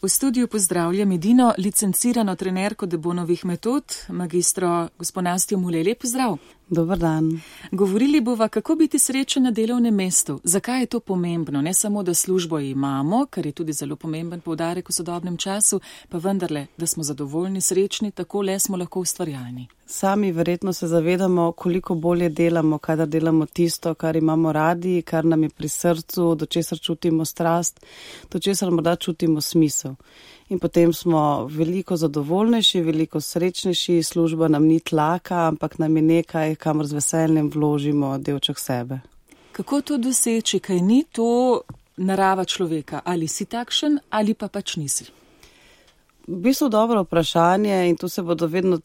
V studiu pozdravljam edino licencirano trenerko Debonovih metod, magistro gospo Nastjo Mulej. Lep pozdrav. Dober dan. Govorili bova, kako biti srečen na delovnem mestu. Zakaj je to pomembno? Ne samo, da službo imamo, kar je tudi zelo pomemben poudarek v sodobnem času, pa vendarle, da smo zadovoljni, srečni, tako le smo lahko ustvarjalni. Sami verjetno se zavedamo, koliko bolje delamo, kadar delamo tisto, kar imamo radi, kar nam je pri srcu, do česar čutimo strast, do česar morda čutimo smisel. In potem smo veliko zadovoljnejši, veliko srečnejši, služba nam ni tlaka, ampak nam je nekaj, kamor z veseljem vložimo delček sebe. Kako to doseči, kaj ni to narava človeka? Ali si takšen ali pa pač nisi? V bistvu dobro vprašanje in tu se bodo vedno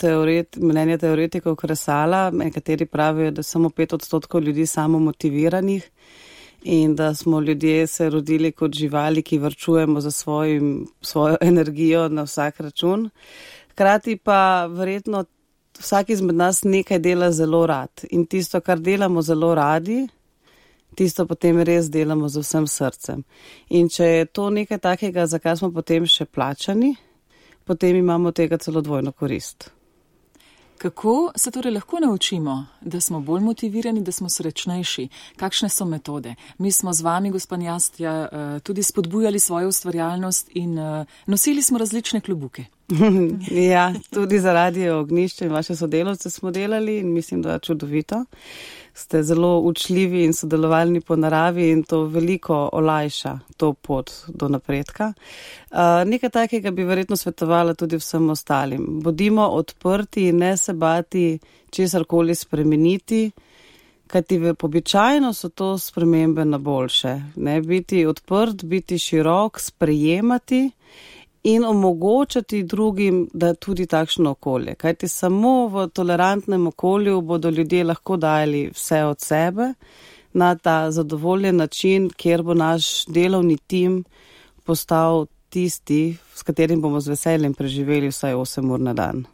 mnenja teoretikov kresala. Nekateri pravijo, da samo 5% ljudi samomotiviranih in da smo ljudje se rodili kot živali, ki varčujemo za svojo energijo na vsak račun. Hkrati pa verjetno vsak izmed nas nekaj dela zelo rad in tisto, kar delamo zelo radi, tisto potem res delamo z vsem srcem. In če je to nekaj takega, za kar smo potem še plačani, potem imamo tega celo dvojno korist. Kako se torej lahko naučimo, da smo bolj motivirani, da smo srečnejši? Kakšne so metode? Mi smo z vami, gospa Nastja, tudi spodbujali svojo ustvarjalnost in nosili smo različne klobuke. Ja, tudi zaradi Ognjišča in vaše sodelavce smo delali in mislim, da je čudovito. Ste zelo učljivi in sodelovalni po naravi in to veliko olajša to pot do napredka. Nekaj takega bi verjetno svetovala tudi vsem ostalim. Bodimo odprti, ne se bati česarkoli spremeniti, kajti običajno so to spremembe na boljše. Ne? Biti odprt, biti širok, sprejemati in omogočati drugim, da tudi takšno okolje. Kajti samo v tolerantnem okolju bodo ljudje lahko dajali vse od sebe na ta zadovoljen način, kjer bo naš delovni tim postal tisti, s katerim bomo z veseljem preživeli vsaj 8 ur na dan.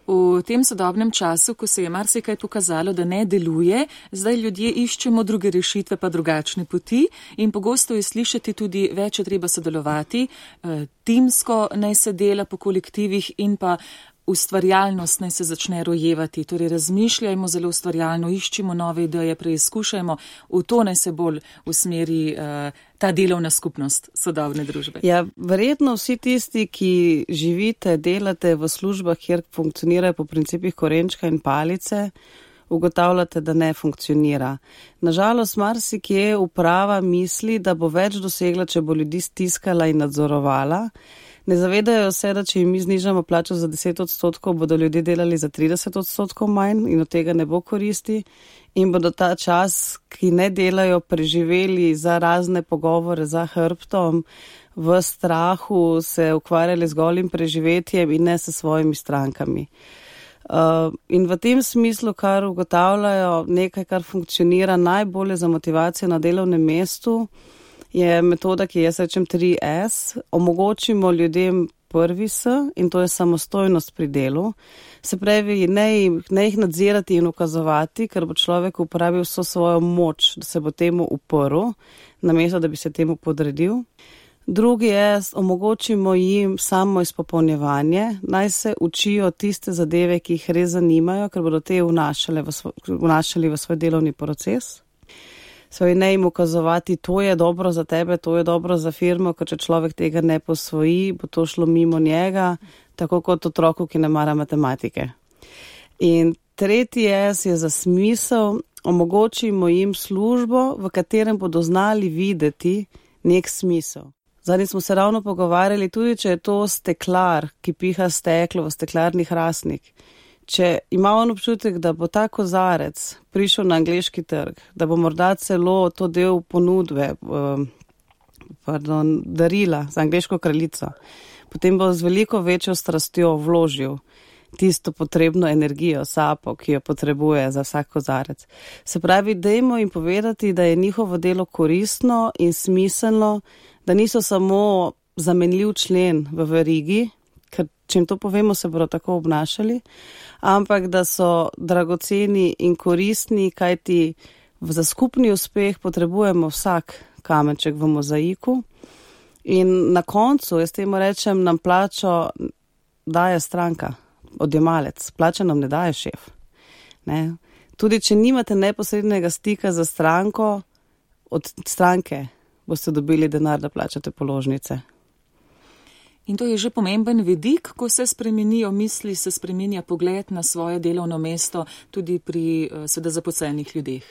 V tem sodobnem času, ko se je marsikaj pokazalo, da ne deluje, zdaj ljudje iščemo druge rešitve pa drugačne poti in pogosto je slišati tudi več je treba sodelovati, timsko naj se dela po kolektivih in pa ustvarjalnost naj se začne rojevati. Torej razmišljajmo zelo ustvarjalno, iščimo nove ideje, preizkušajmo, v to naj se bolj usmeri ta delovna skupnost sodobne družbe. Ja, verjetno vsi tisti, ki živite, delate v službah, kjer funkcionirajo po principih korenčka in palice, ugotavljate, da ne funkcionira. Nažalost, marsikje uprava misli, da bo več dosegla, če bo ljudi stiskala in nadzorovala. Ne zavedajo se, da če jim mi znižamo plačo za 10%, bodo ljudje delali za 30% manj in od tega ne bo koristi in bodo ta čas, ki ne delajo, preživeli za razne pogovore za hrbtom, v strahu se ukvarjali z golim preživetjem in ne s svojimi strankami. In v tem smislu, kar ugotavljajo, nekaj, kar funkcionira najbolje za motivacijo na delovnem mestu, je metoda, ki jaz rečem 3S. Omogočimo ljudem prvi S in to je samostojnost pri delu. Se pravi, ne jih nadzirati in ukazovati, ker bo človek uporabil vso svojo moč, da se bo temu uprl, namesto da bi se temu podredil. Drugi je, omogočimo jim samo izpopolnjevanje, naj se učijo tiste zadeve, ki jih res zanimajo, ker bodo te vnašali v svoj delovni proces. Svoj ne jim ukazovati, to je dobro za tebe, to je dobro za firmo, ker če človek tega ne posvoji, bo to šlo mimo njega, tako kot otroku, ki ne mara matematike. In tretji S je za smisel, omogočimo jim službo, v katerem bodo znali videti nek smisel. Zadnji smo se ravno pogovarjali, tudi če je to steklar, ki piha steklo v steklarni hrastnik. Če ima on občutek, da bo ta kozarec prišel na angleški trg, da bo morda celo to del ponudbe, darila za angleško kraljico, potem bo z veliko večjo strastjo vložil tisto potrebno energijo, sapo, ki jo potrebuje za vsak kozarec. Se pravi, dajmo jim povedati, da je njihovo delo koristno in smiselno, da niso samo zamenljiv člen v verigi, ker če jim to povemo, se bodo tako obnašali, ampak da so dragoceni in koristni, kajti za skupni uspeh potrebujemo vsak kamenček v mozaiku In na koncu, jaz temu rečem, nam plačo daje stranka, odjemalec, plačo nam ne daje šef. Ne? Tudi če nimate neposrednega stika za stranko, od stranke boste dobili denar, da plačate položnice. In to je že pomemben vidik, ko se spremenijo misli, se spreminja pogled na svoje delovno mesto tudi pri seveda zaposlenih ljudeh.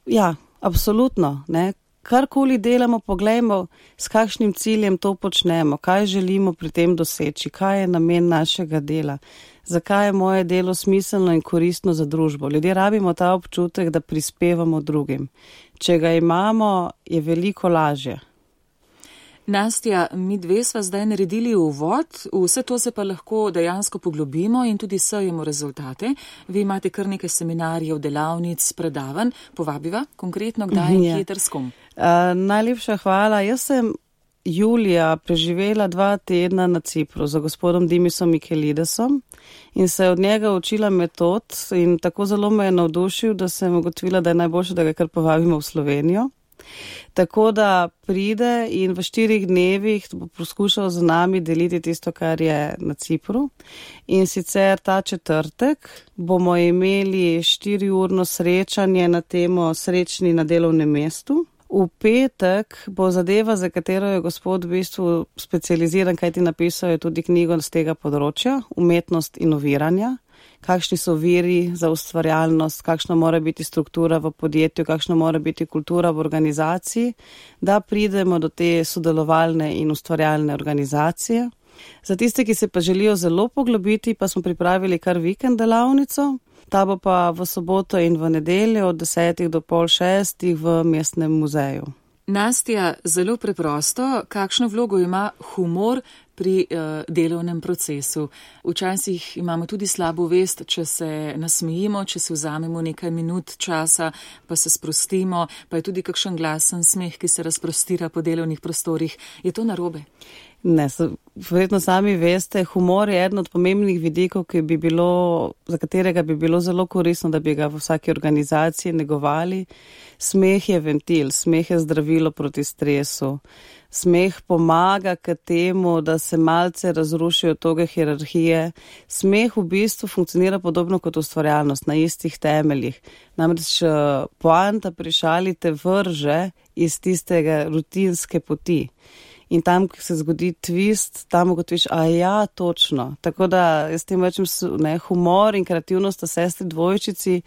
Ja, absolutno. Ne? Karkoli delamo, poglejmo, s kakšnim ciljem to počnemo, kaj želimo pri tem doseči, kaj je namen našega dela, zakaj je moje delo smiselno in koristno za družbo. Ljudje rabimo ta občutek, da prispevamo drugim. Če ga imamo, je veliko lažje. Nastja, mi dve sva zdaj naredili uvod, vse to se pa lahko dejansko poglobimo in tudi sejemo rezultate. Vi imate kar nekaj seminarjev, delavnic, predavanj. Povabiva konkretno, kdaj in kje ter s kom? Najlepša hvala. Jaz sem julija preživela 2 tedna na Cipru za gospodom Dimisom Mikelidesom in se od njega učila metod in tako zelo me je navdušil, da sem ugotovila, da je najboljše, da ga kar povabimo v Slovenijo. Tako da pride in v 4 dnevih bo poskušal z nami deliti tisto, kar je na Cipru. In sicer ta četrtek bomo imeli 4-urno srečanje na temo srečni na delovnem mestu. V petek bo zadeva, za katero je gospod v bistvu specializiran, kajti napisal je tudi knjigo z tega področja, umetnost inoviranja. Kakšni so viri za ustvarjalnost, kakšna mora biti struktura v podjetju, kakšna mora biti kultura v organizaciji, da pridemo do te sodelovalne in ustvarjalne organizacije. Za tiste, ki se pa želijo zelo poglobiti, pa smo pripravili kar vikend delavnico. Ta bo pa v soboto in v nedeljo od 10 do 5:30 v mestnem muzeju. Nastja, zelo preprosto, kakšno vlogo ima humor pri delovnem procesu? Včasih imamo tudi slabo vest, če se nasmejimo, če se vzamemo nekaj minut časa, pa se sprostimo, pa je tudi kakšen glasen smeh, ki se razprostira po delovnih prostorih. Je to narobe? Ne, verjetno sami veste, humor je eden od pomembnih vidikov, za katerega bi bilo zelo koristno, da bi ga v vsaki organizaciji negovali. Smeh je ventil, smeh je zdravilo proti stresu. Smeh pomaga k temu, da se malce razrušijo toge hierarhije. Smeh v bistvu funkcionira podobno kot ustvarjalnost, na istih temeljih. Namreč poanta pri šali te vrže iz tistega rutinske poti. In tam, ko se zgodi twist, tam ugotoviš, točno. Tako da, jaz tem rečem, humor in kreativnost sta sestri dvojčici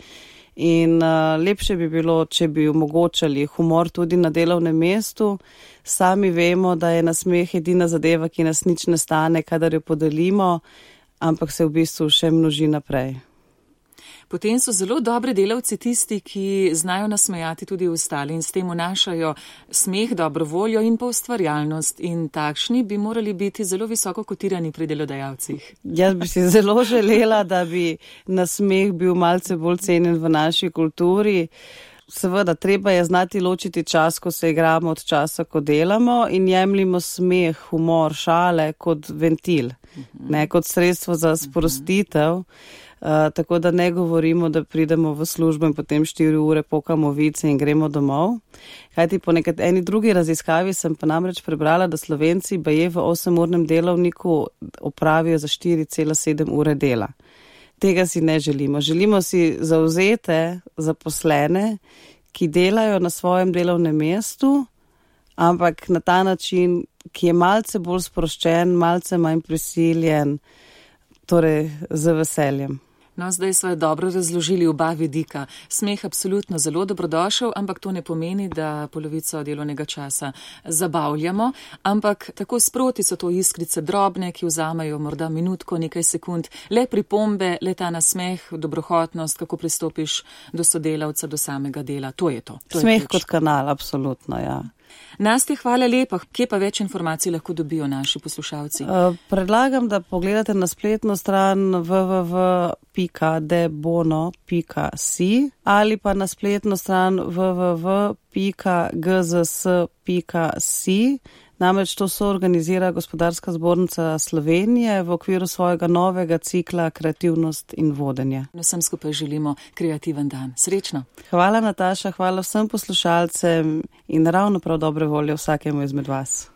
in lepše bi bilo, če bi omogočali humor tudi na delovnem mestu. Sami vemo, da je nasmeh edina zadeva, ki nas nič ne stane, kadar jo podelimo, ampak se v bistvu še množi naprej. Potem so zelo dobri delavci tisti, ki znajo nasmejati tudi ostali in s tem vnašajo smeh, dobro voljo in pa ustvarjalnost. In takšni bi morali biti zelo visoko kotirani pri delodajalcih. Jaz bi si zelo želela, da bi nasmeh bil malce bolj cenjen v naši kulturi. Seveda, treba je znati ločiti čas, ko se igramo, od časa, ko delamo in jemljimo smeh, humor, šale kot ventil, ne kot sredstvo za sprostitev. Tako da ne govorimo, da pridemo v službo in potem 4 ure pokamo vice in gremo domov. Kajti po eni drugi raziskavi sem pa namreč prebrala, da Slovenci baje v 8-urnem delovniku opravijo za 4,7 ure dela. Tega si ne želimo. Želimo si zavzete zaposlene, ki delajo na svojem delovnem mestu, ampak na ta način, ki je malce bolj sproščen, malce manj prisiljen, torej z veseljem. No, zdaj sva dobro razložili oba vidika. Smeh absolutno zelo dobrodošel, ampak to ne pomeni, da polovico delovnega časa zabavljamo, ampak tako sproti so to iskrice drobne, ki vzamejo morda minutko, nekaj sekund, le pripombe, le ta nasmeh, dobrohotnost, kako pristopiš do sodelavca, do samega dela. To je to. Smeh kot kanal, absolutno, ja. Nastja, hvala lepa. Kje pa več informacij lahko dobijo naši poslušalci? Predlagam, da pogledate na spletno stran www.debono.si ali pa na spletno stran www.gzs.si. Namreč to soorganizira Gospodarska zbornica Slovenije v okviru svojega novega cikla Kreativnost in vodenje. Vsem skupaj želimo kreativen dan. Srečno. Hvala, Nataša, hvala vsem poslušalcem in ravno prav dobre volje vsakemu izmed vas.